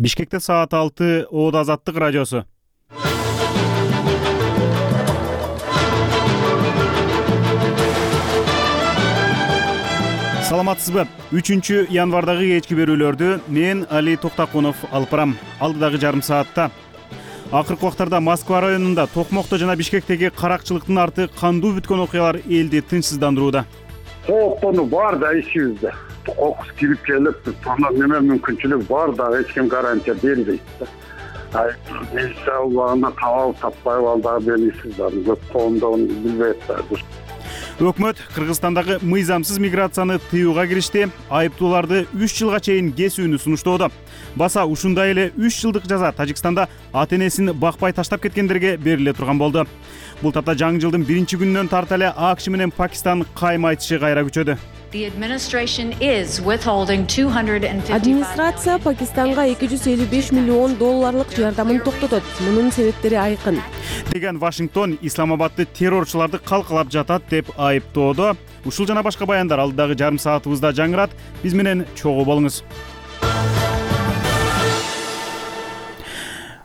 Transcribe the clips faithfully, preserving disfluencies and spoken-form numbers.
Бишкекте саат алты, Оодо Азаттык радиосу. Саламатсызбы? үчүнчү январдагы кечки берүүлөрдү мен Али Токтакунов алып барам. Алдыдагы жарым саатта акыркы убактарда Москва районунда Токмокто жана Бишкектеги каракчылыктын арты кандуу бүткөн окуялар элди тынчсыздандырууда. Кооптону бар да ичибизде. Кокус кирип келип, тонор неме мүмкүнчүлүк бар да эч ким гарантия бербейт да. Ай, милиция убагында табалып таппай балдагы белгисиз бар. Көп коомдон билбейт да. Өкмөт Кыргызстандагы мыйзамсыз миграцияны тыюуга киришти. Айыптууларды үч жылга чейин кесүүнү сунуштоодо. Баса ушундай эле үч жылдык жаза Тажикстанда ата-энесин бакпай таштап кеткендерге бериле турган болду. Бул тапта жаңы жылдын биринчи күнүнөн тарта эле АКШ менен Пакистан кайым айтышы кайра күчөдү. Администрация Пакистанга эки жүз элүү беш миллион долларлык жардамын токтотот. Мунун себептери айкын. Деген Вашингтон Исламабадды террорчуларды калкалап жатат деп айыптоодо. Ушул жана башка баяндар алдыдагы жарым саатыбызда жаңырат. Биз менен чогуу болуңуз.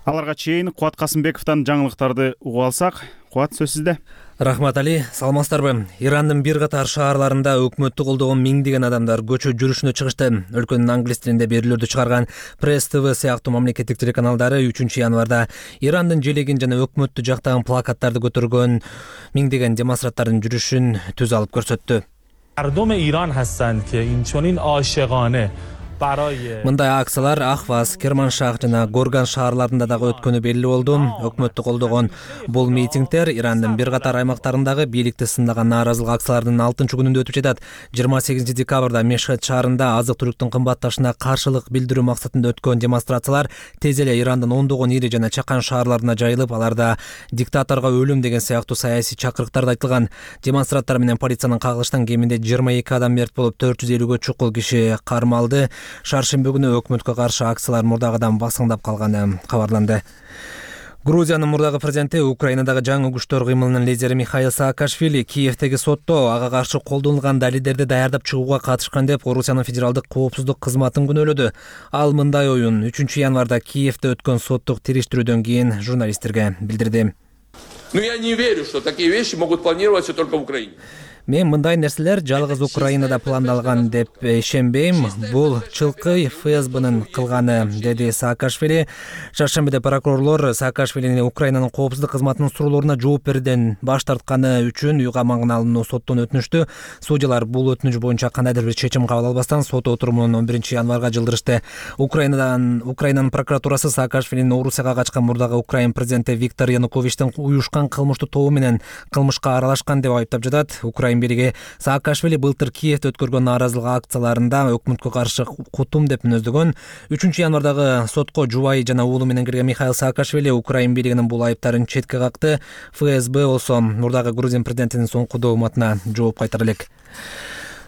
Аларга чейин Кубат Касымбековдон жаңылыктарды угуп алсак. Кубат, сөз сизде. Рахмат Али, саламатсыздарбы? Ирандын бир катар шаарларында өкмөттү колдогон миңдеген адамдар көчө жүрүшүнө чыгышты. Өлкөнүн англис тилинде берүүлөрдү чыгарган Пресс ТВ сыяктуу мамлекеттик телеканалдары үчүнчү январда Ирандын желегин жана өкмөттү жактаган плакаттарды көтөргөн миңдеген демонстранттардын жүрүшүн түз алып көрсөттү. Мардом Иран хастанд ки инчонин ашигане Мындай акциялар Ахваз, Керманшах жана Горган шаарларында дагы өткөнү белгилүү болду. Өкмөттү колдогон бул митингдер Ирандын бир катар аймактарындагы бийликти сындаган нааразылык акцияларынын алтынчы күнүндө өтүп жатат. жыйырма сегизинчи декабрда Мешхед шаарында азык-түлүктүн кымбатташына каршылык билдирүү максатында өткөн демонстрациялар тез эле Ирандын ондогон ири жана чакан шаарларына жайылып, аларда диктаторго өлүм деген сыяктуу саясий чакырыктар айтылган. Демонстранттар менен полициянын кагылыштан кеминде жыйырма эки адам мерт болуп, төрт жүз элүүгө чукул киши кармалды. Шаршемби күнү өкмөткө каршы акциялар мурдагыдан басыңдап калганы кабарланды. Грузиянын мурдагы президенти Украинадагы жаңы күчтөр кыймылынын лидери Михаил Саакашвили Киевдеги сотто ага каршы колдонулган далилдерди даярдап чыгууга катышкан деп Орусиянын федералдык коопсуздук кызматын күнөөлөдү. Ал мындай оюн үчүнчү январда Киевде өткөн соттук териштирүүдөн кийин журналисттерге билдирди. Но я не верю, что такие вещи могут планироваться только в Украине. Мен мындай нерселер жалгыз Украинада пландалган деп ишенбейм. Бул чылкы ФСБнын кылганы, деди Саакашвили. Шаршембиде прокурорлор Саакашвилини Украинанын коопсуздук кызматынын суроолоруна жооп берүүдөн баш тартканы үчүн үй камагына алынуу соттон өтүнүштү. Судьялар бул өтүнүч боюнча кандайдыр бир чечим кабыл албастан сот отурумун он биринчи январга жылдырышты. Украинадан Украинанын прокуратурасы Саакашвилинин Орусияга качкан мурдагы Украин президенти Виктор Януковичтин уюшкан кылмыштуу тобу менен кылмышка аралашкан деп айыптап жатат. Украин бириги Саакашвили былтыр Киевде өткөргөн нааразылык акцияларында өкмөткө каршы кутум деп мүнөздөгөн. үчүнчү январдагы сотко жубайы жана уулу менен кирген Михаил Саакашвили Украин бийлигинин бул айыптарын четке какты. ФСБ болсо мурдагы Грузин президентинин соңку дооматына жооп кайтара элек.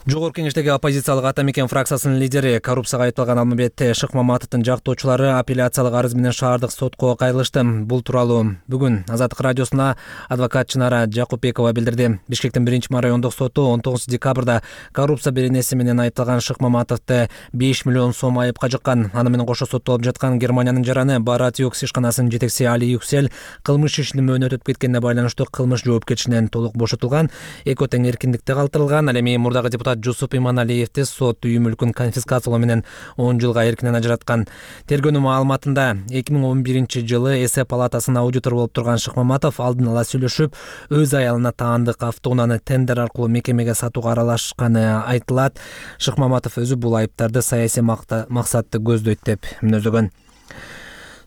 Жогорку кеңештеги оппозициялык Ата Мекен фракциясынын лидери, коррупцияга айыпталган Алмамбет Шыкмаматовдун жактоочулары апелляциялык арыз менен шаардык сотко кайрылышты. Бул тууралуу бүгүн Азаттык радиосуна адвокат Чынара Жакупбекова билдирди. Бишкектин биринчи райондук соту он тогузунчу декабрда коррупция беренеси менен айыпталган Шыкмаматовду беш миллион сом айыпка жыккан. Аны менен кошо соттолуп жаткан Германиянын жараны Барат Юкс ишканасынын жетекчиси Али Юксель кылмыш ишинин мөөнөтү өтүп кеткенине байланыштуу кылмыш жоопкерчилигинен толук бошотулган. Эки тең эркиндикте калтырылган. Ал эми мурдагы депутат Жусуп Иманалиевди сот үй мүлкүн конфискациялоо менен он жылга эркинен ажыраткан. Тергөөнүн маалыматында эки миң он биринчи жылы эсеп палатасынын аудитор болуп турган Шыкмаматов алдын ала сүйлөшүп, өз аялына таандык автоунааны тендер аркылуу мекемеге сатууга аралашканы айтылат. Шыкмаматов өзү бул айыптарды саясий максатты көздөйт деп мүнөздөгөн.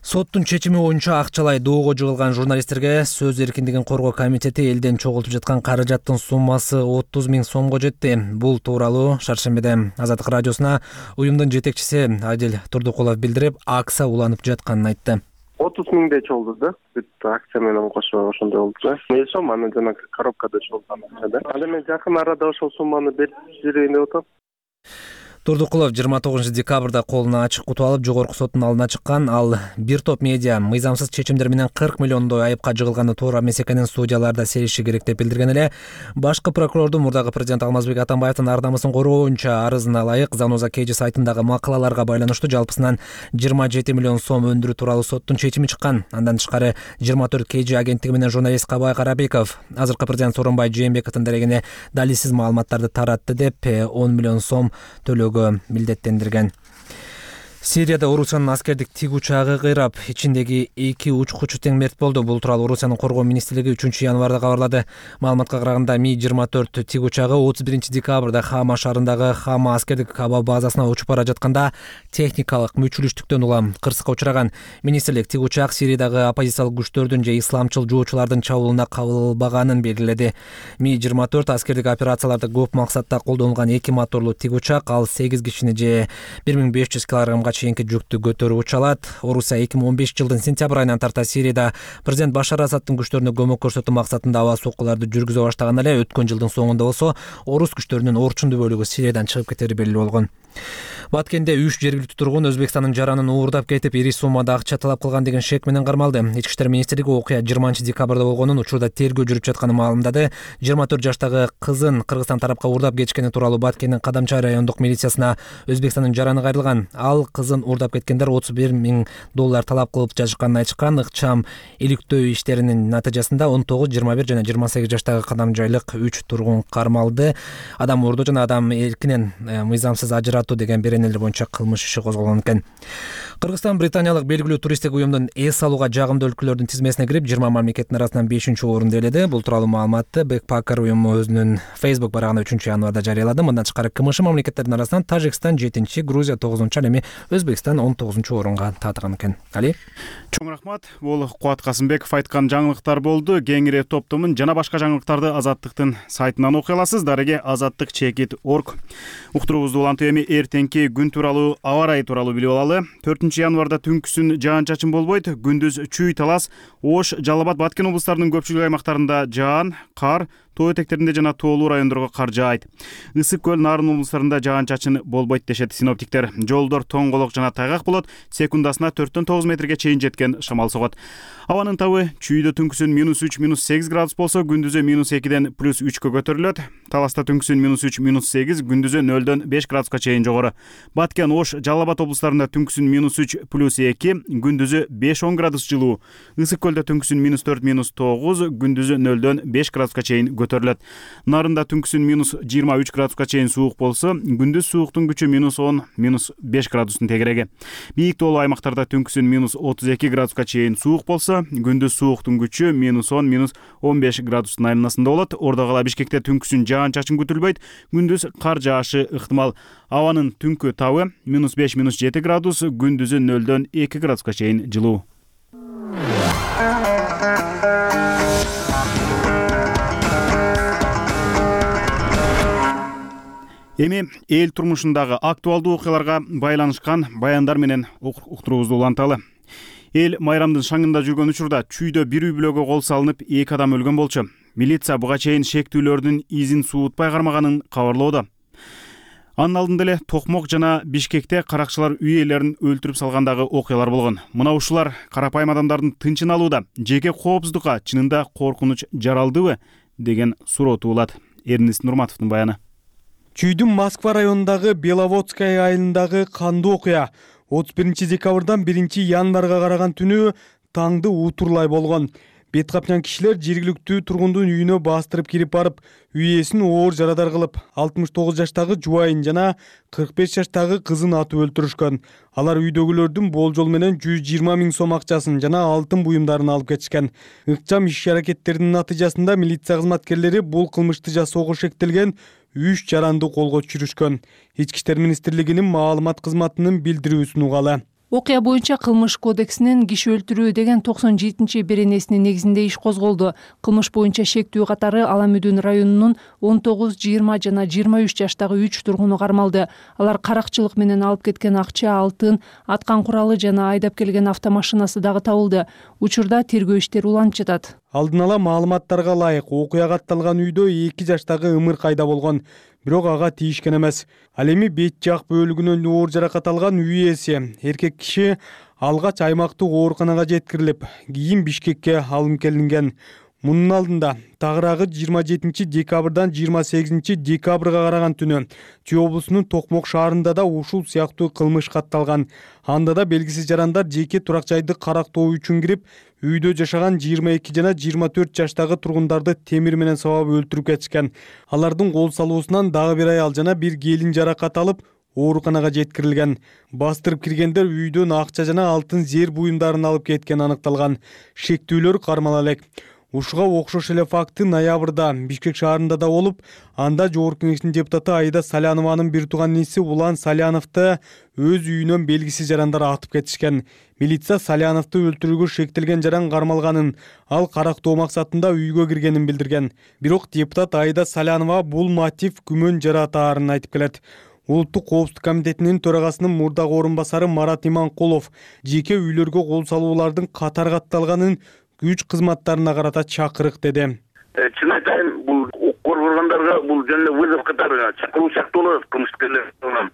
Соттун чечими боюнча акчалай доого жыгылган журналисттерге сөз эркиндигин коргоо комитети элден чогултуп жаткан каражаттын суммасы отуз миң сомго жетти. Бул тууралуу Шаршембиде Азаттык радиосуна уюмдун жетекчиси Адил Турдукулов билдирип, акция уланып жатканын айтты. отуз миңдей чогулду да. Бүт акция менен кошо ошондой болду да. Мен сом аны жана коробкада чогулган акча да. Ал эми жакын арада ошол сумманы берип жиберейин деп атам. Турдукулов жыйырма тогузунчу декабрда колуна ачык кутуп алып жогорку соттун алдына чыккан. Ал бир топ медиа мыйзамсыз чечимдер менен кырк миллиондой айыпка жыгылганы туура эмес экенин судьяларда сериши керек деп билдирген эле. Башкы прокурордун мурдагы президент Алмазбек Атамбаевдин ар намысын коргоо боюнча арызына ылайык Заноза Кж сайтындагы макалаларга байланыштуу жалпысынан жыйырма жети миллион сом өндүрүү тууралуу соттун чечими чыккан. Андан тышкары жыйырма төрт Кж агенттиги менен журналист Кабай Карабеков азыркы президент Сооронбай Жээнбековдун дарегине далилсиз маалыматтарды таратты деп он миллион сом төлөөгө милдеттендирген. Сирияда Орусиянын аскердик тиг учагы кыйрап, ичиндеги эки учкучу тең мерт болду. Бул тууралуу Орусиянын коргоо министрлиги үчүнчү январда кабарлады. Маалыматка караганда Ми жыйырма төрт тиг учагы отуз биринчи декабрда Хама шаарындагы Хама аскердик аба базасына учуп бара жатканда техникалык мүчүлүштүктөн улам кырсыкка учураган. Министрлик тиг учак Сириядагы оппозициялык күчтөрдүн же исламчыл жоочулардын чабуулуна кабылбаганын белгиледи. Ми жыйырма төрт аскердик операцияларда көп максатта колдонулган эки моторлуу тиг учак, ал сегиз кишини же бир миң беш жүз килограммга чейинки жүктү көтөрүп уча алат. Орусия эки миң он бешинчи жылдын сентябрь айынан тарта Сирияда президент Башар Асадтын күчтөрүнө көмөк көрсөтүү максатында аба соккуларды жүргүзө баштаган эле. Өткөн жылдын соңунда болсо орус күчтөрүнүн орчундуу бөлүгү Сириядан чыгып кетери белгилүү болгон. Баткенде үч жергиликтүү тургун Өзбекстандын жаранын уурдап кетип, ири суммада акча талап кылган деген шек менен кармалды. Ички иштер министрлиги окуя жыйырманчы декабрда болгонун, учурда тергөө жүрүп жатканын маалымдады. жыйырма төрт жаштагы кызын Кыргызстан тарапка уурдап кетишкени тууралуу Баткендин Кадамчай райондук милициясына Өзбекстандын жараны кайрылган. Ал кызын уурдап кеткендер отуз бир миң доллар талап кылып жатышканын айтышкан. Ыкчам иликтөө иштеринин натыйжасында он тогуз, жыйырма бир жана жыйырма сегиз жаштагы кадамжайлык үч тургун кармалды. Адам уурдоо жана адам эркинен мыйзамсыз ажыратуу деген беренелер боюнча кылмыш иши козголгон экен. Кыргызстан британиялык белгилүү туристтик уюмдун эс алууга жагымдуу өлкөлөрдүн тизмесине кирип, жыйырма мамлекеттин арасынан бешинчи орунду ээледи. Бул тууралуу маалыматты Backpacker уюму өзүнүн Facebook барагында үчүнчү январда жарыялады. Мындан тышкары КМШ мамлекеттердин арасынан Тажикстан жетинчи, Грузия тогузунчу, ал эми Өзбекстан он тогузунчу орунга таатыган экен. Али чоң рахмат. Бул Кубат Касымбеков айткан жаңылыктар болду. Кеңири топтомун жана башка жаңылыктарды Азаттыктын сайтынан окуй аласыз. Дареге азаттык чекит точка орг. Уктуруубузду улантып эми эртеңки күн тууралуу аба ырайы тууралуу билип алалы. төртүнчү январда түнкүсүн жаан-чачын болбойт. Күндүз Чүй, Талас, Ош, Жалал Абад, Баткен облустарынын көпчүлүк аймактарында жаан, кар, тоо этектеринде жана тоолуу райондорго кар жаайт. Ысык көл, Нарын облустарында жаан-чачын болбойт дешет синоптиктер. Жолдор тоңголок жана тайгак болот. Секундасына төрттөн тогуз метрге чейин жеткен шамал согот. Абанын табы Чүйдө түнкүсүн минус үч, минус сегиз градус болсо, күндүзү минус экиден плюс үчкө көтөрүлөт. Таласта түнкүсүн минус үч, минус сегиз, күндүзү нөлдөн беш градуска чейин жогору. Баткен, Ош, Жалал Абад облустарында түнкүсүн минус үч, плюс эки, күндүзү беш он градус жылуу. Ысык көлдө түнкүсүн минус төрт, минус тогуз, күндүзү нөлдөн беш градуска чейин көтөрүлөт. Нарында түнкүсүн минус жыйырма үч градуска чейин суук болсо, күндүз сууктун күчү минус он, минус беш градустун тегереги. Бийик тоолуу аймактарда түнкүсүн минус отуз эки градуска чейин суук болсо, күндүз сууктун күчү минус он, минус он беш градустун айнасында болот. Ордо кала Бишкекте түнкүсүн жаан-чачын күтүлбөйт, күндүз кар жаашы ыктымал. Абанын түнкү табы минус беш, минус жети градус, күндүзү нөлдөн эки градуска чейин жылуу. Эми эл турмушундагы актуалдуу окуяларга байланышкан баяндар менен уктуруубузду уланталы. Эл майрамдын шаңында жүргөн учурда Чүйдө бир үй бүлөгө кол салынып, эки адам өлгөн болчу. Милиция буга чейин шектүүлөрдүн изин суутпай кармаганын кабарлоодо. Анын алдында эле Токмок жана Бишкекте каракчылар үй ээлерин өлтүрүп салгандагы окуялар болгон. Мына ушулар карапайым адамдардын тынчын алууда жеке коопсуздукка чынында коркунуч жаралдыбы деген суроо туулат. Эрнис Нурматовдун баяны. Чүйдүн Москва районундагы Беловодская айылындагы кандуу окуя отуз биринчи декабрдан биринчи январга караган түнү таңды утурлай болгон. Бет капчан кишилер жергиликтүү тургундун үйүнө бастырып кирип барып, үй ээсин оор жарадар кылып, алтымыш тогуз жаштагы жубайын жана кырк беш жаштагы кызын атып өлтүрүшкөн. Алар үйдөгүлөрдүн болжол менен жүз жыйырма миң сом акчасын жана алтын буюмдарын алып кетишкен. Ыкчам иш-аракеттердин натыйжасында милиция кызматкерлери бул кылмышты жасоого шектелген үч жаранды колго түшүрүшкөн. Ички иштер министрлигинин маалымат кызматынын билдирүүсүн угалы. Окуя боюнча кылмыш кодексинин киши өлтүрүү деген токсон жетинчи беренесинин негизинде иш козголду. Кылмыш боюнча шектүү катары Аламүдүн районунун он тогуз, жыйырма жана жыйырма үч жаштагы үч тургуну кармалды. Алар каракчылык менен алып кеткен акча, алтын, аткан куралы жана айдап келген автомашинасы дагы табылды. Учурда тергөө иштери уланып жатат. Алдын ала маалыматтарга ылайык окуяга атталган үйдө эки жаштагы ымыр кайда болгон. бирок ага тийишкен эмес. Ал эми бет жак бөлүгүнөн оор жаракат алган үй ээси эркек киши алгач аймактык ооруканага жеткирилип, кийин Бишкекке алынып келинген. Мунун алдында тагыраагы жыйырма жетинчи декабрдан жыйырма сегизинчи декабрга караган түнү Чүй облусунун Токмок шаарында да ушул сыяктуу кылмыш катталган. Анда да белгисиз жарандар жеке турак жайды карактоо үчүн кирип, үйдө жашаган жыйырма эки жана жыйырма төрт жаштагы тургундарды темир менен сабап өлтүрүп кетишкен. Алардын кол салуусунан дагы бир аял жана бир келин жаракат алып, ооруканага жеткирилген. Бастырып киргендер үйдөн акча жана алтын зер буюмдарын алып кеткен аныкталган. Шектүүлөр кармала элек. Ушуга окшош эле факты ноябрда Бишкек шаарында да болуп, анда Жогорку Кеңештин депутаты Аида Салянованын бир тууган иниси Улан Саляновду өз үйүнөн белгисиз жарандар атып кетишкен. Милиция Саляновду өлтүрүүгө шектелген жаран кармалганын, ал карактоо максатында үйгө киргенин билдирген. Бирок депутат Аида Салянова бул мотив күмөн жаратаарын айтып келет. Улуттук коопсуздук комитетинин төрагасынын мурдагы орун басары Марат Иманкулов жеке үйлөргө кол салуулардын катар катталганын күч кызматтарына карата чакырык деди. Чын айтайын, бул укук коргонгондарга бул жөн эле вызов катары чакыруу сыяктуу болот кылмышкерлер.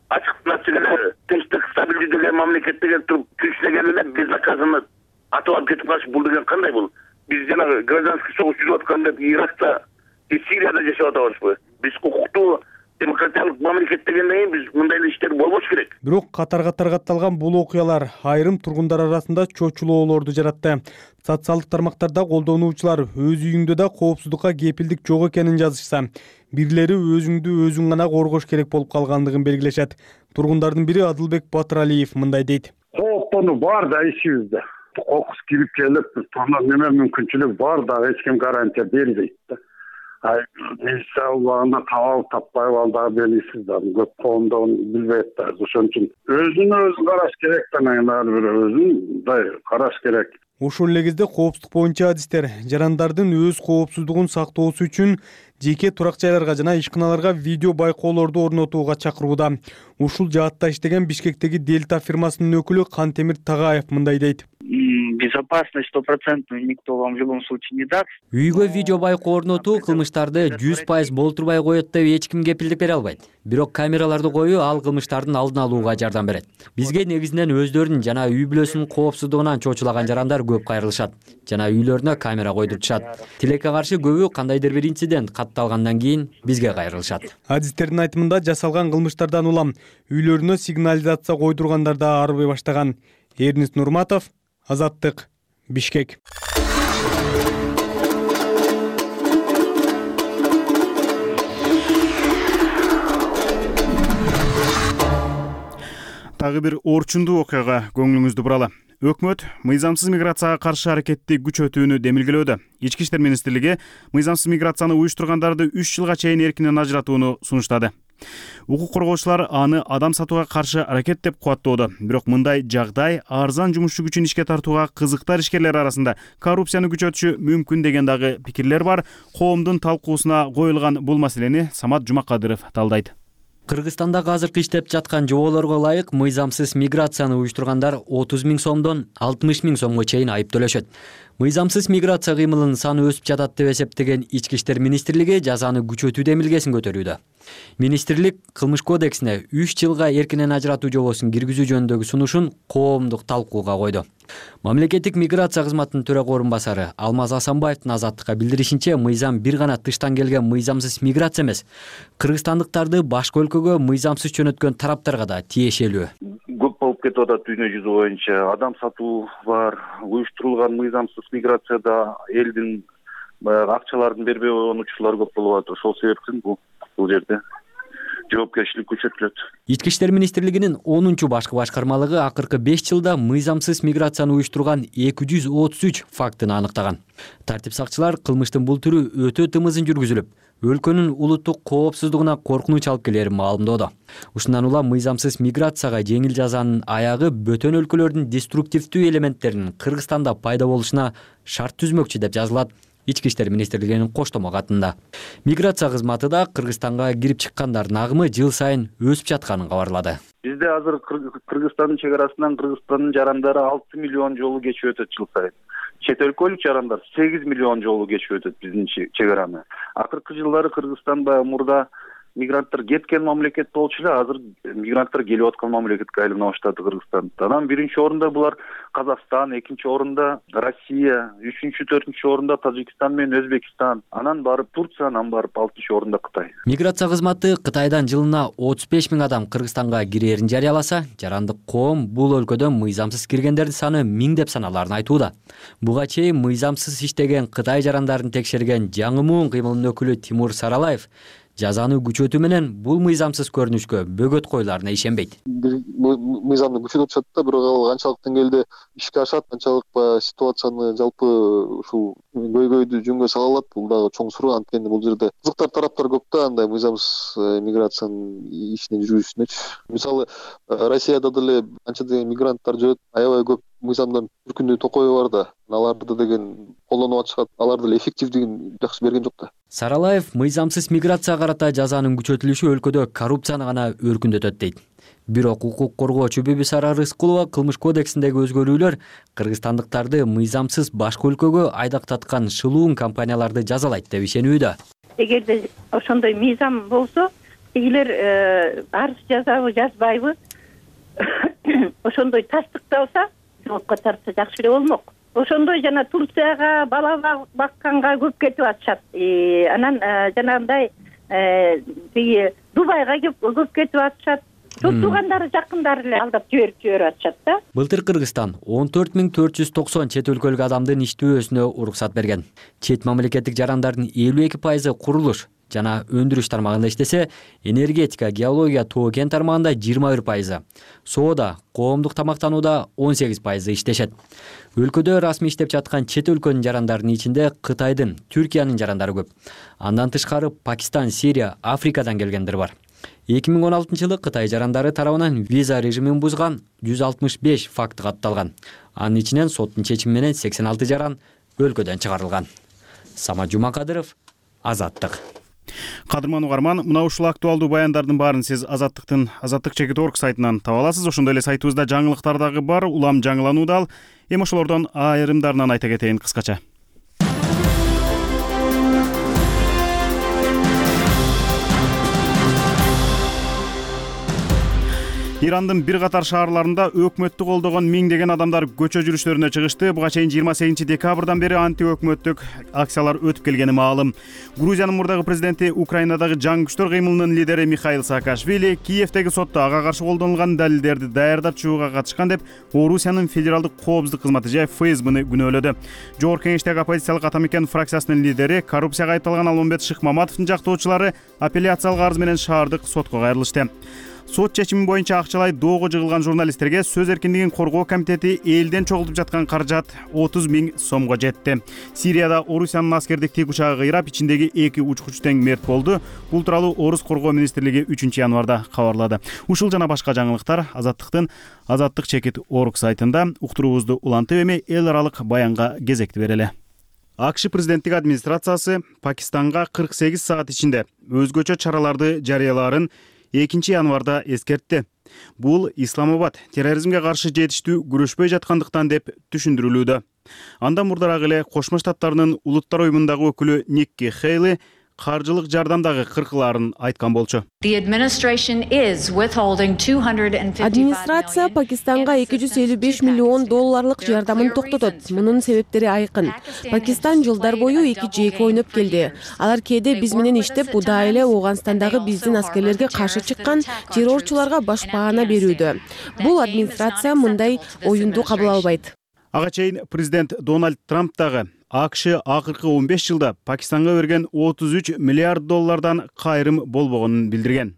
Ачык ачык эле тынчтык стабилдүү деген мамлекетте келип туруп күчтеген эле безнаказанно атып алып кетип калыш, бул деген кандай бул? Биз жанагы гражданский согуш жүрүп атканда Иракта, Сирияда жашап атабызбы? Биз укуктуу демократиялык мамлекет дегенден кийин биз мындай эле иштер болбош керек. Бирок катар-катар катталган бул окуялар айрым тургундар арасында чочулоолорду жаратты. Социалдык тармактарда колдонуучулар өз үйүңдө да коопсуздукка кепилдик жок экенин жазышса, бирлери өзүңдү өзүң гана коргош керек болуп калгандыгын белгилешет. Тургундардын бири Адылбек Батыралиев мындай дейт. Кооптонуу бар да ичибизде. Кокус кирип келип, тонор неме мүмкүнчүлүк бар да эч ким гарантия бербейт да. Ай, милиция убагында табалып таппайбы, ал дагы белгисиз да. Көп коомдо билбейт да. Ошон үчүн өзүн өзү караш керек да, ар бир өзүн мындай караш керек. Ушул эле кезде коопсуздук боюнча адистер жарандардын өз коопсуздугун сактоосу үчүн жеке турак жайларга жана ишканаларга видео байкоолорду орнотууга чакырууда. Ушул жаатта иштеген Бишкектеги Дельта фирмасынын өкүлү Кантемир Тагаев мындай дейт. Безопасность стопроцентную никто вам в любом случае не даст. Үйгө видео байкоо орнотуу кылмыштарды жүз пайыз болтурбай коет деп эч ким кепилдик бере албайт. Бирок камераларды коюу ал кылмыштардын алдын алууга жардам берет. Бизге негизинен өздөрүнүн жана үй бүлөсүнүн коопсуздугунан чочулаган жарандар көп кайрылышат жана үйлөрүнө камера койдуртушат. Тилекке каршы көбү кандайдыр бир инцидент катталгандан кийин бизге кайрылышат. Адистердин айтымында жасалган кылмыштардан улам үйлөрүнө сигнализация койдургандар да арыбай баштаган. Эрнис Нурматов, Азаттык, Бишкек. Тагы бир орчундуу окуяга көңүлүңүздү буралы. Өкмөт мыйзамсыз миграцияга каршы аракетти күчөтүүнү демилгелөөдө. Ички иштер министрлиги мыйзамсыз миграцияны уюштургандарды үч жылга чейин эркинен ажыратууну сунуштады. Укук коргоочулар аны адам сатууга каршы аракет деп кубаттоодо. Бирок мындай жагдай арзан жумушчу күчүн ишке тартууга кызыктар ишкерлер арасында коррупцияны күчөтүшү мүмкүн деген дагы пикирлер бар. Коомдун талкуусуна коюлган бул маселени Самат Жумакадыров талдайт. Кыргызстанда азыркы иштеп жаткан жоболорго ылайык мыйзамсыз миграцияны уюштургандар отуз миң сомдон алтымыш миң сомго чейин айып төлөшөт. Мыйзамсыз миграция кыймылынын саны өсүп жатат деп эсептеген Ички иштер министрлиги жазаны күчөтүү демилгесин көтөрүүдө. Министрлик кылмыш кодексине үч жылга эркинен ажыратуу жобосун киргизүү жөнүндөгү сунушун коомдук талкууга койду. Мамлекеттик миграция кызматынын төрага орун басары Алмаз Асанбаевдин Азаттыкка билдиришинче, мыйзам бир гана тыштан келген мыйзамсыз миграция эмес, кыргызстандыктарды башка өлкөгө мыйзамсыз жөнөткөн тараптарга да тиешелүү. Көп болуп кетип атат дүйнө жүзү боюнча. Адам сатуу бар, уюштурулган мыйзамсыз миграцияда элдин акчаларын бербей койгончулар көп болуп атат. Ошол себептен бул бул жерде жоопкерчилик күчөтүлөт. Ички иштер министрлигинин онунчу башкы башкармалыгы акыркы беш жылда мыйзамсыз миграцияны уюштурган эки жүз отуз үч фактыны аныктаган. Тартип сакчылар кылмыштын бул түрү өтө тымызын жүргүзүлүп, өлкөнүн улуттук коопсуздугуна коркунуч алып келерин маалымдоодо. Ушундан улам мыйзамсыз миграцияга жеңил жазанын аягы бөтөн өлкөлөрдүн деструктивдүү элементтеринин Кыргызстанда пайда болушуна шарт түзмөкчү деп жазылат Ички иштер министрлигинин коштомо катында. Миграция кызматы да Кыргызстанга кирип чыккандардын агымы жыл сайын өсүп жатканын кабарлады. Бизде азыр Кыргызстандын чек арасынан Кыргызстандын жарандары алты миллион жолу кечип өтөт жыл сайын. Чет өлкөлүк жарандар сегиз миллион жолу кечип өтөт биздин чек араны. Акыркы жылдары Кыргызстан баягы мурда мигранттар кеткен мамлекет болчу эле азыр мигранттар келип аткан мамлекетке айлана баштады Кыргызстан. Анан биринчи орунда булар Казакстан, экинчи орунда Россия, үчүнчү, төртүнчү орунда Тажикстан менен Өзбекстан, анан барып Турция, анан барып алтынчы орунда Кытай. Миграция кызматы Кытайдан жылына отуз беш миң адам Кыргызстанга кирээрин жарыяласа, жарандык коом бул өлкөдөн мыйзамсыз киргендердин саны миңдеп саналарын айтууда. Буга чейин мыйзамсыз иштеген Кытай жарандарын текшерген жаңы муун кыймылынын өкүлү Тимур Саралаев жазаны күчөтүү менен бул мыйзамсыз көрүнүшкө бөгөт коюларына ишенбейт. Мыйзамды күчөтүп атышат да, бирок ал канчалык деңгээлде ишке ашат, канчалык ситуацияны жалпы ушул көйгөйдү жөнгө сала алат, бул дагы чоң суроо. Анткени бул жерде кызыктар тараптар көп да, андай мыйзамсыз миграциянын ишине жүрүүсүнөчү. Мисалы, Россияда деле анча деген мигранттар жүрөт, аябай көп мыйзамдан үркүндүү токойу бар да. Аларды деген колдонуп атышат, алар деле эффективдигин жакшы берген жок да. Саралаев мыйзамсыз миграция карата жазанын күчөтүлүшү өлкөдө коррупцияны гана өркүндөтөт дейт. Бирок укук коргоочу Бибисара Рыскулова кылмыш кодексиндеги өзгөрүүлөр кыргызстандыктарды мыйзамсыз башка өлкөгө айдактаткан шылуун компанияларды жазалайт деп ишенүүдө. Эгерде ошондой мыйзам болсо, элер арыз жазабы, жазбайбы, ошондой тастыкталса, жоопко тартса жакшы эле болмок. Ошондой жана Турцияга бала бакканга көп кетип атышат. Анан жанагындай тиги Дубайга көп кетип атышат. Чоң туугандары, жакындары эле алдап жиберип жиберип атышат да. Былтыр Кыргызстан он төрт миң төрт жүз токсон чет өлкөлүк адамдын иштөөсүнө уруксат берген. Чет мамлекеттик жарандардын элүү эки пайызы курулуш жана өндүрүш тармагында иштесе, энергетика, геология, тоо кен тармагында жыйырма бир пайызы, соода, коомдук тамактанууда он сегиз пайызы иштешет. Өлкөдө расмий иштеп жаткан чет өлкөнүн жарандарынын ичинде Кытайдын, Түркиянын жарандары көп. Андан тышкары Пакистан, Сирия, Африкадан келгендер бар. эки миң он алтынчы жылы Кытай жарандары тарабынан виза режимин бузган жүз алтымыш беш факт катталган. Анын ичинен соттун чечими менен сексен алты жаран өлкөдөн чыгарылган. Самат Жумакадыров, Азаттык. Кадырман угарман, мына ушул актуалдуу баяндардын баарын сиз Азаттыктын азаттык чекит орг сайтынан таба аласыз. Ошондой эле сайтыбызда жаңылыктар дагы бар, улам жаңылануу да ал. Эми ошолордон айрымдарынан айта кетейин кыскача. Ирандын бир катар шаарларында өкмөттү колдогон миңдеген адамдар көчө жүрүштөрүнө чыгышты. Буга чейин жыйырма сегизинчи декабрдан бери анти-өкмөттүк акциялар өтүп келгени маалым. Грузиянын мурдагы президенти, Украинадагы жаңы күчтөр кыймылынын лидери Михаил Саакашвили Киевдеги сотто ага каршы колдонулган далилдерди даярдап чыгууга катышкан деп Орусиянын федералдык коопсуздук кызматы же эф эс бны күнөөлөдү. Жогорку кеңештеги оппозициялык Атамекен фракциясынын лидери, коррупцияга айыпталган Алмамбет Шыкмаматовдун жактоочулары апелляциялык арыз менен шаардык сотко кайрылышты. Сот чечими боюнча акчалай доого жыгылган журналисттерге сөз эркиндигин коргоо комитети элден чогултуп жаткан каражат отуз миң сомго жетти. Сирияда Орусиянын аскердик тик учагы кыйрап, ичиндеги эки учкуч тең мерт болду. Бул тууралуу Орус коргоо министрлиги үчүнчү январда кабарлады. Ушул жана башка жаңылыктар Азаттыктын азаттык чекит орг сайтында. Уктуруубузду улантып эми эл аралык баянга кезекти берели. АКШ президенттик администрациясы Пакистанга кырк сегиз саат ичинде өзгөчө чараларды жарыялаарын экинчи январда эскертти. Бул Исламабад терроризмге каршы жетиштүү күрөшпөй жаткандыктан деп түшүндүрүлүүдө. Андан мурдараак эле Кошмо Штаттарынын улуттар уюмундагы өкүлү Никки Хейли каржылык жардамдагы кыркылаарын айткан болчу. Администрация Пакистанга эки жүз элүү беш миллион долларлык жардамын токтотот. Мунун себептери айкын. Пакистан жылдар бою эки жээк ойноп келди. Алар кээде биз менен иштеп, удаа эле Ооганстандагы биздин аскерлерге каршы чыккан террорчуларга башпаана берүүдө. Бул администрация мындай оюнду кабыл албайт. Ага чейин президент Дональд Трамп дагы АКШ акыркы он беш жылда Пакистанга берген отуз үч миллиард доллардан кайрым болбогонун билдирген.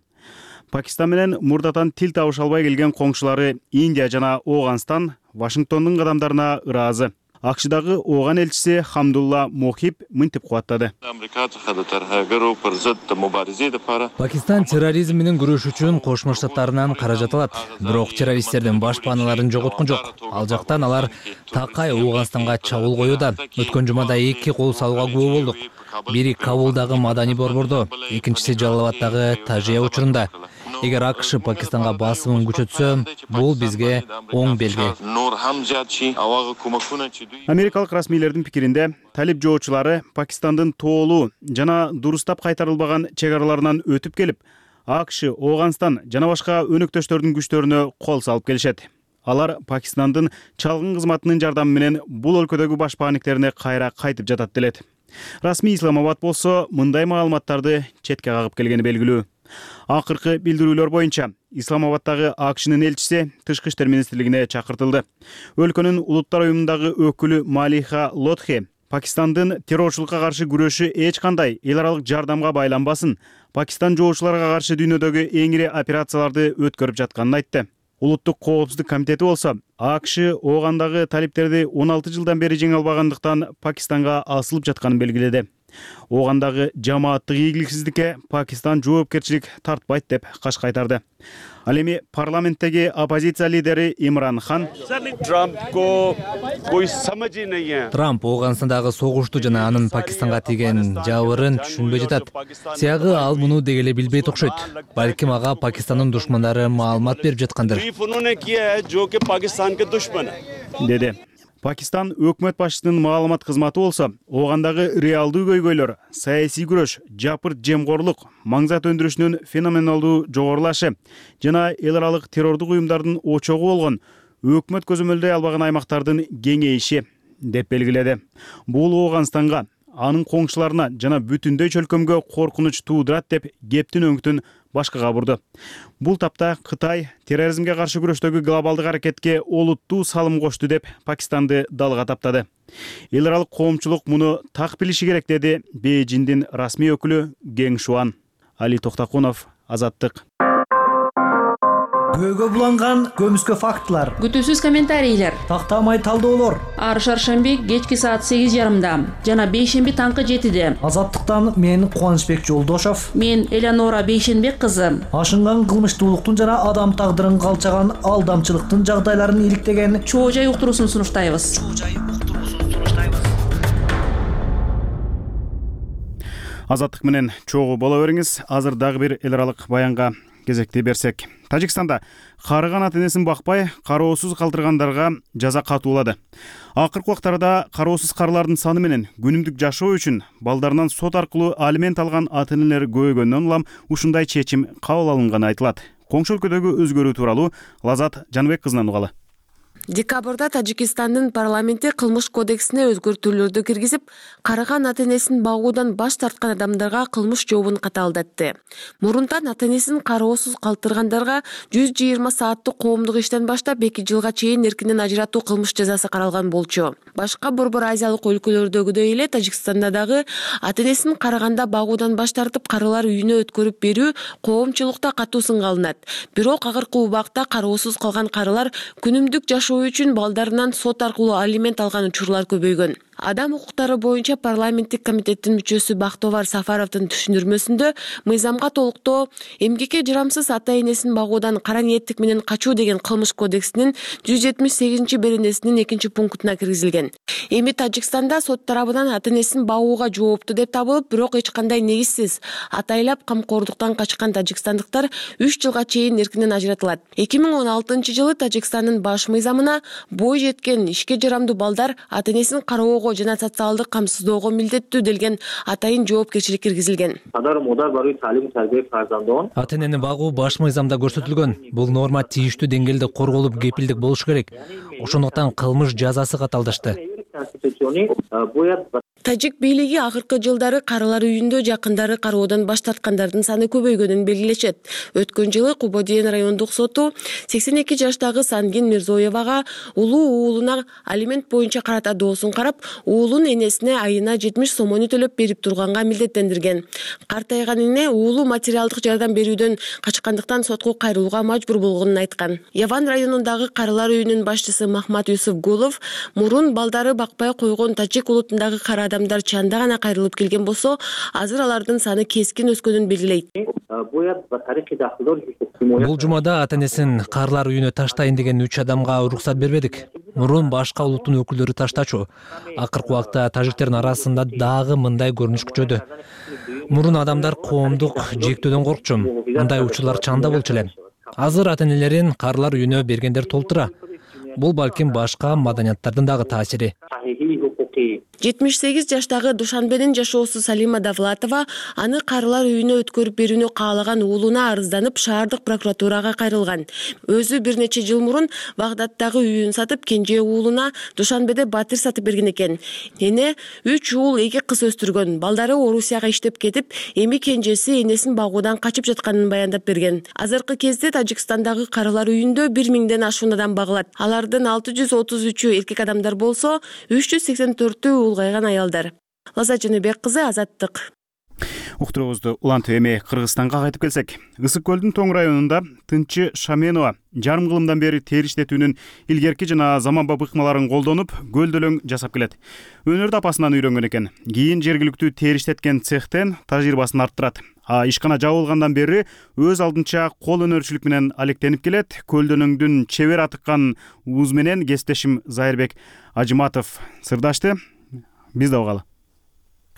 Пакистан менен мурдатан тил табыша албай келген коңшулары Индия жана Ооганстан Вашингтондун кадамдарына ыраазы. АКШдагы Ооган элчиси Хамдулла Мохиб мынтип кубаттады. Пакистан терроризм менен күрөш үчүн Кошмо Штаттарынан каражат алат. Бирок террористтердин башпааналарын жоготкон жок. Ал жактан алар такай Ооганстанга чабуул коюуда. Өткөн жумада эки кол салууга күбө болдук. Бири Кабулдагы Мадани борбордо, экинчиси Жалалабаддагы Тажия учурунда. эгер АКШ Пакистанга басымын күчөтсө, бул бизге оң белги. Америкалык расмийлердин пикиринде, талип жоочулары Пакистандын тоолуу жана дурустап кайтарылбаган чек араларынан өтүп келип, АКШ, Ооганстан жана башка өнөктөштөрдүн күчтөрүнө кол салып келишет. Алар Пакистандын чалгын кызматынын жардамы менен бул өлкөдөгү башпаанниктерине кайра кайтып жатат делет. Расмий Исламабад болсо мындай маалыматтарды четке кагып келгени белгилүү. Акыркы билдирүүлөр боюнча Исламабаддагы АКШнын элчиси Тышкы иштер министрлигине чакыртылды. Өлкөнүн улуттар уюмундагы өкүлү Малиха Лотхи Пакистандын террорчулукка каршы күрөшү эч кандай эл аралык жардамга байланбасын, Пакистан жоочуларга каршы дүйнөдөгү эң ири операцияларды өткөрүп жатканын айтты. Улуттук коопсуздук комитети болсо АКШ Оогандагы талиптерди он алты жылдан бери жеңе албагандыктан Пакистанга асылып жатканын белгиледи. Оогандагы жамааттык ийгиликсиздикке Пакистан жоопкерчилик тартпайт деп каш кайтарды. Ал эми парламенттеги оппозиция лидери Имран Хан Трамп Ооганстандагы согушту жана анын Пакистанга тийген жабырын түшүнбөй жатат. Сиягы ал муну деги эле билбейт окшойт. Балким ага Пакистандын душмандары маалымат берип жаткандыр, деди. Пакистан өкмөт башчысынын маалымат кызматы болсо, Оогандагы реалдуу көйгөйлөр, саясий күрөш, жапырт жемкорлук, маңзат өндүрүшүнүн феноменалдуу жогорулашы жана эл аралык террордук уюмдардын очогу болгон өкмөт көзөмөлдөй албаган аймактардын кеңейиши деп белгиледи. Бул Ооганстанга, анын коңшуларына жана бүтүндөй чөлкөмгө коркунуч туудурат деп кептин өңүтүн башкага бурду. Бул тапта Кытай терроризмге каршы күрөштөгү глобалдык аракетке олуттуу салым кошту деп Пакистанды далга таптады. Эл аралык коомчулук муну так билиши керек, деди Бейжиңдин расмий өкүлү Гeng Шуан. Али Токтакунов, Азаттык. Көөгө буланган көмүскө фактылар, күтүүсүз комментарийлер, тактамай талдоолор. Ар шаршемби кечки саат сегиз жарымда жана бейшемби таңкы жетиде. Азаттыктан мен Кубанычбек Жолдошов, мен Элеонора Бейшенбек кызы. Ашынган кылмыштуулуктун жана адам тагдырын калчаган алдамчылыктын жагдайларын иликтеген чоо жай уктуруусун сунуштайбыз. Азаттык менен чогуу боло бериңиз. Азыр дагы бир эл аралык баянга кезекти берсек. Тажикстанда карыган ата-энесин бакпай, кароосуз калтыргандарга жаза катуулады. Акыркы убактарда кароосуз карылардын саны менен күнүмдүк жашоо үчүн балдарынан сот аркылуу алимент алган ата-энелер көбөйгөндөн улам ушундай чечим кабыл алынганы айтылат. Коңшу өлкөдөгү өзгөрүү тууралуу Лазат Жаныбек кызынан угалы. Декабрда Тажикстандын парламенти кылмыш кодексине өзгөртүүлөрдү киргизип, карыган ата-энесин багуудан баш тарткан адамдарга кылмыш жообун катаалдатты. Мурунтан ата-энесин кароосуз калтыргандарга жүз жыйырма сааттык коомдук иштен баштап эки жылга чейин эркинен ажыратуу кылмыш жазасы каралган болчу. Башка борбор азиялык өлкөлөрдөгүдөй эле Тажикстанда дагы ата-энесин карыганда багуудан баш тартып карылар үйүнө өткөрүп берүү коомчулукта катуу сынга алынат. Бирок акыркы убакта кароосуз калган карылар күнүмдүк жашоо үчүн балдарынан сот аркылуу алимент алган учурлар көбөйгөн. Адам укуктары боюнча парламенттик комитеттин мүчөсү Бактовар Сафаровдун түшүндүрмөсүндө мыйзамга толуктоо эмгекке жарамсыз ата-энесин багуудан кара ниеттик менен качуу деген кылмыш кодексинин жүз жетимиш сегизинчи беренесинин экинчи пунктуна киргизилген. Эми Тажикстанда сот тарабынан ата-энесин багууга жоопту деп табылып, бирок эч кандай негизсиз атайлап камкордуктан качкан тажикстандыктар үч жылга чейин эркинен ажыратылат. эки миң он алтынчы жылы Тажикстандын баш мыйзамына бой жеткен ишке жарамдуу балдар ата-энесин кароого жана социалдык камсыздоого милдеттүү делген атайын жоопкерчилик киргизилген. Ата-энени багуу баш мыйзамда көрсөтүлгөн. Бул норма тийиштүү деңгээлде корголуп, кепилдик болушу керек. Ошондуктан кылмыш жазасы каталдашты. Тажик бийлиги акыркы жылдары карылар үйүндө жакындары кароодон баш тарткандардын саны көбөйгөнүн белгилешет. Өткөн жылы Кубодиен райондук соту сексен эки жаштагы Сангин Мирзоевага улуу уулуна алимент боюнча карата доосун карап, уулун энесине айына жетимиш сомону төлөп берип турганга милдеттендирген. Картайган эне уулу материалдык жардам берүүдөн качкандыктан сотко кайрылууга мажбур болгонун айткан. Яван районундагы карылар үйүнүн башчысы Махмат Юсуф Гулов мурун балдары бакпай койгон тажик улутундагы кара адамдар чанда гана кайрылып келген болсо, азыр алардын саны кескин өскөнүн белгилейт. Бул жумада ата-энесин карылар үйүнө таштайын деген үч адамга уруксат бербедик. Мурун башка улуттун өкүлдөрү таштачу. Акыркы убакта тажиктердин арасында дагы мындай көрүнүш күчөдү. Мурун адамдар коомдук жектөөдөн коркчу. Мындай учурлар чанда болчу эле. Азыр ата-энелерин карылар үйүнө бергендер толтура. Бул балким башка маданияттардын дагы таасири. жетимиш сегиз жаштагы Душанбенин жашоосу Салима Давлатова аны карылар үйүнө өткөрүп берүүнү каалаган уулуна арызданып шаардык прокуратурага кайрылган. Өзү бир нече жыл мурун Багдадтагы үйүн сатып, кенже уулуна Душанбеде батир сатып берген экен. Эне үч уул эки кыз өстүргөн. Балдары Орусияга иштеп кетип, эми кенжеси энесин багуудан качып жатканын баяндап берген. Азыркы кезде Тажикстандагы карылар үйүндө бир миңден ашуун адам багылат. Алардын алты жүз отуз үчү эркек адамдар болсо, үч жүз сексен төртү улгайган аялдар. Лаза Жөнөбек кызы, Азаттык. Уктуруубузду улантып эми Кыргызстанга кайтып келсек, Ысык көлдүн Тоң районунда Тынчы Шаменова жарым кылымдан бери тери иштетүүнүн илгерки жана заманбап ыкмаларын колдонуп, гөлдөлөң жасап келет. Өнөрдү апасынан үйрөнгөн экен. Кийин жергиликтүү тери иштеткен цехтен тажрыйбасын арттырат. А ишкана жабылгандан бери өз алдынча кол өнөрчүлүк менен алектенип келет. Көлдөлөңдүн чебер атыккан ууз менен кесиптешим Зайырбек Ажыматов сырдашты. Биз да угалы.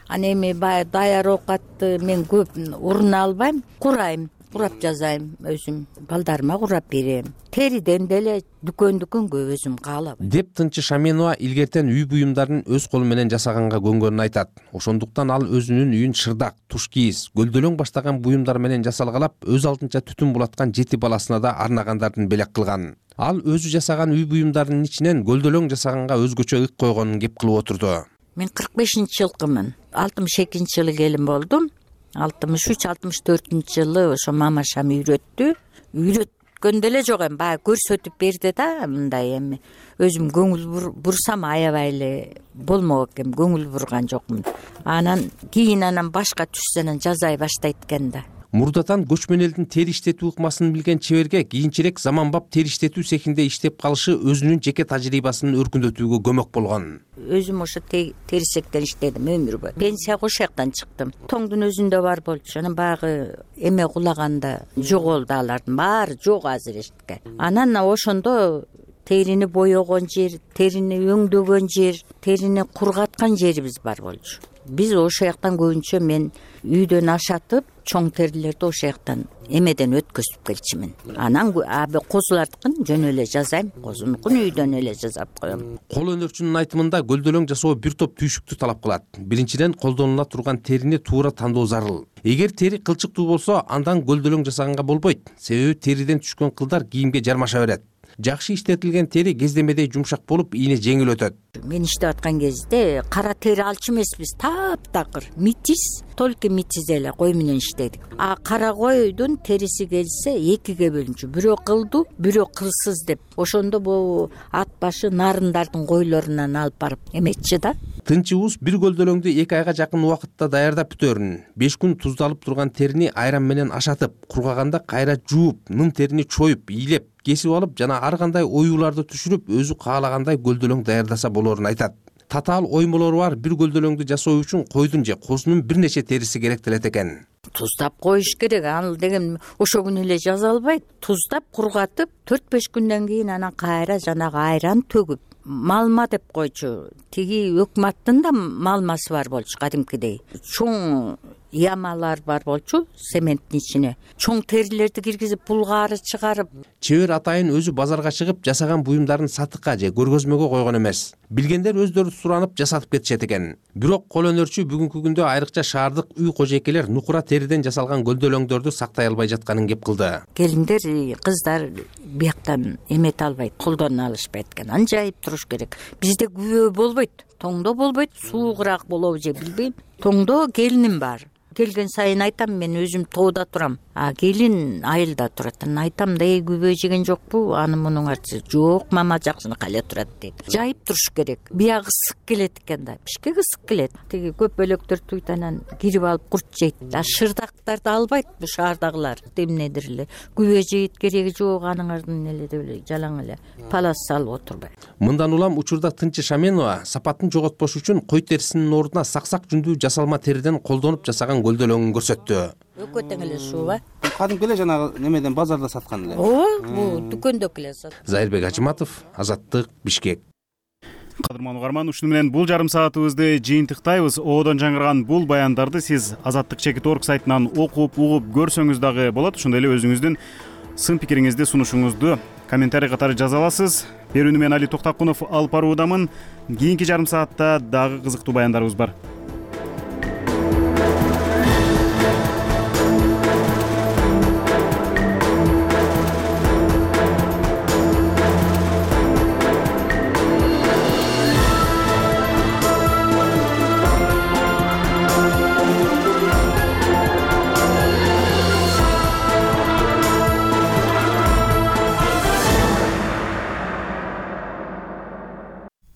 Аны эми баягы даяр оокатты мен көп уруна албайм, курайм, курап жазайм өзүм, балдарыма курап берем. Териден деле дүкөндүкүнгө өзүм каалабайм. Деп Тынчы Шаменова илгертен үй буюмдарын өз колу менен жасаганга көнгөнүн айтат. Ошондуктан ал өзүнүн үйүн шырдак, туш кийиз, гөлдөлөң баштаган буюмдар менен жасалгалап, өз алдынча түтүн булаткан жети баласына да арнагандардын белек кылган. Ал өзү жасаган үй буюмдарынын ичинен гөлдөлөң жасаганга өзгөчө ык койгонун кеп кылып отурду. Мен кырк бешинчи жылкымын. алтымыш экинчи жылы келин болдум. алтымыш үч алтымыш төртүнчү жылы ошо мамашам үйрөттү. Үйрөткөндө эле жок эми, баягы көрсөтүп берди да, мындай эми өзүм көңүл бурсам аябай эле болмок экен, көңүл бурган жокмун. Анан кийин анан башка түшсө анан жазай баштайт экен да. Мурдатан көчмөн элдин тери иштетүү ыкмасын билген чеберге кийинчерээк заманбап тери иштетүү цехинде иштеп калышы өзүнүн жеке тажрыйбасын өркүндөтүүгө көмөк болгон. Өзүм ошо терисектен иштедим өмүр бою. Пенсияга ошол жактан чыктым. Тоңдун өзүндө бар болчу. Анан баягы эме кулаганда жоголду алардын баары, жок азыр эчтеке. Анан ошондо терини боёгон жер, терини өңдөгөн жер, терини кургаткан жерибиз бар болчу. Биз ошол жактан көбүнчө мен үйдөн ашатып, чоң терилерди ошол жактан эмеден өткөзүп келчүмүн. Анан аби козулардыкын жөн эле жазайм, козунукун үйдөн эле жасап коем. Кол өнөрчүнүн айтымында гөлдөлөң жасоо бир топ түйшүктү талап кылат. Биринчиден колдонула турган терини туура тандоо зарыл. Эгер тери кылчыктуу болсо, андан гөлдөлөң жасаганга болбойт. Себеби териден түшкөн кылдар кийимге жармаша берет. Жакшы иштетилген тери кездемедей жумшак болуп, ийне жеңил өтөт. Мен иштеп аткан кезде кара тери алчу эмеспиз, таптакыр, митиз, только митиз эле кой менен иштедик. А кара койдун териси келсе экиге бөлүнчү, бирөө кылдуу, бирөө кылсыз деп. Ошондо бул ат башы нарындардын койлорунан алып барып эметчи да. Тынчыбыз бир гөлдөлөңдү эки айга жакын убакытта даярдап бүтөрүн. беш күн туздалып турган терини айран менен ашатып, кургаганда кайра жууп, нын терини чоюп, ийлеп, кесип алып жана ар кандай оюуларды түшүрүп, өзү каалагандай гөлдөлөң даярдаса болорун айтат. Татаал оймолору бар бир гөлдөлөңдү жасоо үчүн койдун же козунун бир нече териси керектелет экен. Туздап коюш керек. Ал деген ошо күнү эле жаза албайт. Туздап кургатып, төрт беш күндөн кийин анан кайра жанагы айран төгүп, малма деп койчу. Тиги өкмөттүн да малмасы бар болчу кадимкидей. Чоң ямалар бар болчу цементтин ичине. Чоң терилерди киргизип, булгаары чыгарып. Чебер атайын өзү базарга чыгып, жасаган буюмдарын сатыкка же көргөзмөгө койгон эмес. Билгендер өздөрү суранып жасатып кетишет экен. Бирок кол өнөрчү бүгүнкү күндө айрыкча шаардык үй кожойкелер нукура териден жасалган гөлдөлөңдөрдү сактай албай жатканын кеп кылды. Келиндер, кыздар бияктан эмете албайт, колдоно алышпайт экен. Анжайып туруш керек. Бизде күбө болбойт, тоңдо болбойт, суугураак болобу же билбейм. Тоңдо келиним бар. Келген сайын айтам, мен өзүм тоодо турам. А келин айылда турат. Айтам да, эй күбө жеген жокпу? Аны мунун арты жок, мама жакшынакы эле турат дейт. Жайып туруш керек. Биягы ысык келет экен да. Бишкек ысык келет. Тиги көп бөлөктөр туйтанан кирип алып курт жейт. А шырдактарды албайт бу шаардагылар. Эмнедир эле күбө жейт, кереги жок, аныңардын эле деп эле жалаң эле палас салып отурбайт. Мындан улам учурда Тынчы Шаменова сапатын жоготпош үчүн кой терисинин ордуна саксак жүндүү жасалма териден колдонуп жасаган гөлдөлөңүн көрсөттү. Өкө тең эле шууба. Кадимки эле жанагы немеден базарда саткан эле. Ооба, бул дүкөндө эле сат. Зайырбек Ажыматов, Азаттык, Бишкек. кадырман угарман, ушуну менен бул жарым саатыбызды жыйынтыктайбыз. Оодон жаңырган бул баяндарды сиз азаттык чекит орг сайтынан окуп, угуп көрсөңүз дагы болот. Ошондой эле өзүңүздүн сын пикириңизди, сунушуңузду комментарий катары жаза аласыз. Берүүнү мен Али Токтакунов алып баруудамын. Кийинки жарым саатта дагы кызыктуу баяндарыбыз бар.